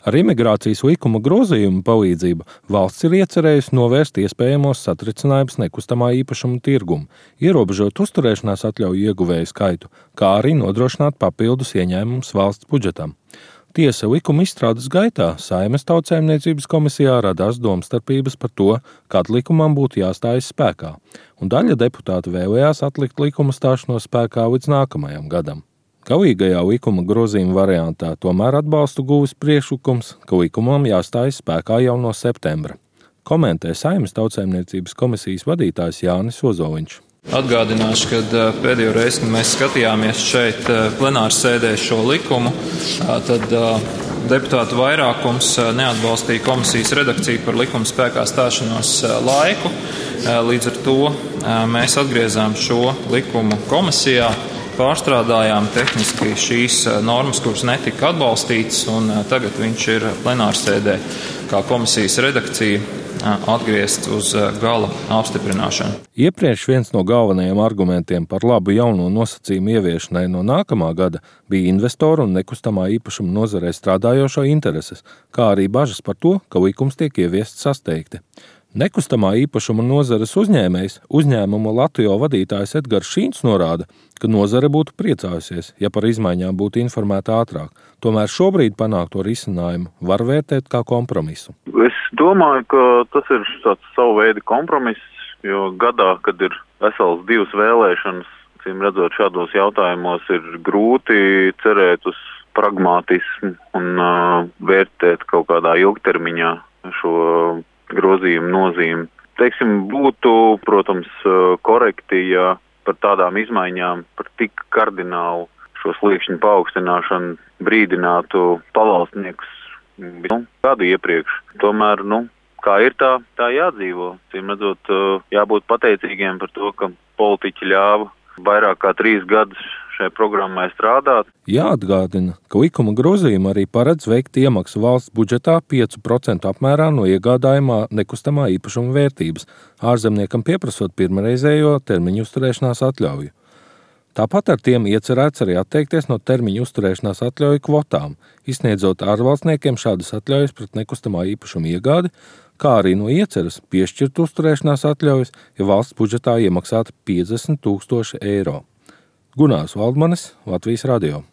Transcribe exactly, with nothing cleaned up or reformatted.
Ar imigrācijas likuma grozījumu palīdzību valsts ir iecerējusi novērst iespējamos satricinājumus nekustamā īpašuma tirgumu, ierobežot uzturēšanās atļauju ieguvēju skaitu, kā arī nodrošināt papildus ieņēmumus valsts budžetam. Tiesa, likuma izstrādes gaitā Saeimas Tautsaimniecības komisijā radās domstarpības par to, kad likumam būtu jāstājas spēkā, un daļa deputātu vēlējās atlikt likuma stāšanos spēkā līdz nākamajam gadam. Galīgajā likuma grozījuma variantā tomēr atbalstu guvis priekšlikums, ka likumam jāstājas spēkā jau no septembra. Komentē Saeimas Tautsaimniecības komisijas vadītājs Jānis Ozoliņš. Atgādināšu, ka pēdējo reizi, kad mēs skatījāmies šeit plenāras sēdē šo likumu, tad deputātu vairākums neatbalstīja komisijas redakciju par likuma spēkā stāšanos laiku. Līdz ar to mēs atgriezām šo likumu komisijā, pārstrādājām tehniski šīs normas, kuras netika atbalstītas, un tagad viņš ir plenāras sēdē kā komisijas redakcija atgriezt uz gala apstiprināšanu. Iepriekš viens no galvenajiem argumentiem par labu jauno nosacījumu ieviešanai no nākamā gada bija investoru un nekustamā īpašuma nozarē strādājošo intereses, kā arī bažas par to, ka likums tiek ieviests sasteigti. Nekustamā īpašuma nozares uzņēmējs, uzņēmuma Latvijo vadītājs Edgars Šīns norāda, ka nozare būtu priecājusies, ja par izmaiņām būtu informēta ātrāk. Tomēr šobrīd panākto risinājumu var vērtēt kā kompromisu. Es domāju, ka tas ir tāds savu veidu kompromiss, jo gadā, kad ir vesels divas vēlēšanas, cīm redzot šādos jautājumos, ir grūti cerēt uz pragmātismu un uh, vērtēt kaut kādā ilgtermiņā šo grozījumu nozīmi. Teiksim, būtu, protams, korekti, ja par tādām izmaiņām, par tik kardinālu šo sliekšņu paaugstināšanu brīdinātu pavalstniekus nu, gadu iepriekš. Tomēr, nu, kā ir tā, tā jādzīvo. Cīm redzot, jābūt pateicīgiem par to, ka politiķi ļāva vairāk kā trīs gadus šai programmai strādāt. Jāatgādina, ka likuma grozījuma arī paredz veikt iemaksu valsts budžetā pieci procenti apmērā no iegādājumā nekustamā īpašuma vērtības, ārzemniekam pieprasot pirmreizējo termiņu uzturēšanās atļauju. Tāpat ar tiem iecerēts arī atteikties no termiņu uzturēšanās atļauju kvotām, izsniedzot ārvalstniekiem šādas atļaujas pret nekustamā īpašuma iegādi, kā arī no ieceras piešķirt uzturēšanās atļaujas, ja valsts budžetā iemaksāta piecdesmit tūkstoši eiro. Gunārs Valdmanis, Latvijas radio.